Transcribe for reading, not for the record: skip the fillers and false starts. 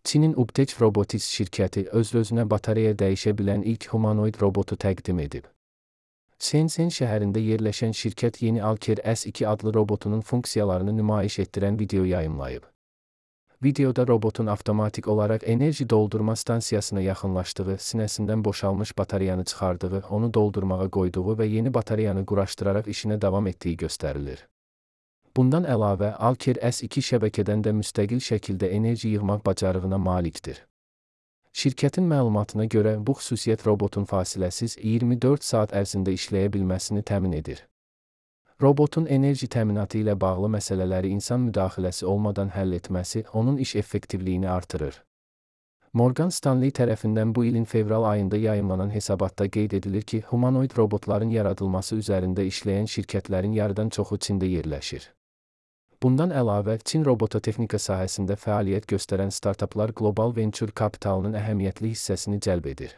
Çinin Ubtech Robotics şirkəti öz-özünə batareya dəyişə bilən ilk humanoid robotu təqdim edib. Shenzhen şəhərində yerləşən şirkət yeni Alker S2 adlı robotunun funksiyalarını nümayiş etdirən video yayımlayıb. Videoda robotun avtomatik olaraq enerji doldurma stansiyasına yaxınlaşdığı, sinəsindən boşalmış batareyanı çıxardığı, onu doldurmağa qoyduğu və yeni batareyanı quraşdıraraq işinə davam etdiyi göstərilir. Bundan əlavə, Alker S2 şəbəkədən də müstəqil şəkildə enerji yığmaq bacarığına malikdir. Şirkətin məlumatına görə, bu xüsusiyyət robotun fasiləsiz 24 saat ərzində işləyə bilməsini təmin edir. Robotun enerji təminatı ilə bağlı məsələləri insan müdaxiləsi olmadan həll etməsi onun iş effektivliyini artırır. Morgan Stanley tərəfindən bu ilin fevral ayında yayımlanan hesabatda qeyd edilir ki, humanoid robotların yaradılması üzərində işləyən şirkətlərin yarıdan çoxu Çində yerləşir. Bundan əlavə, Çin robototexnika sahəsində fəaliyyət göstərən startaplar qlobal venture kapitalının əhəmiyyətli hissəsini cəlb edir.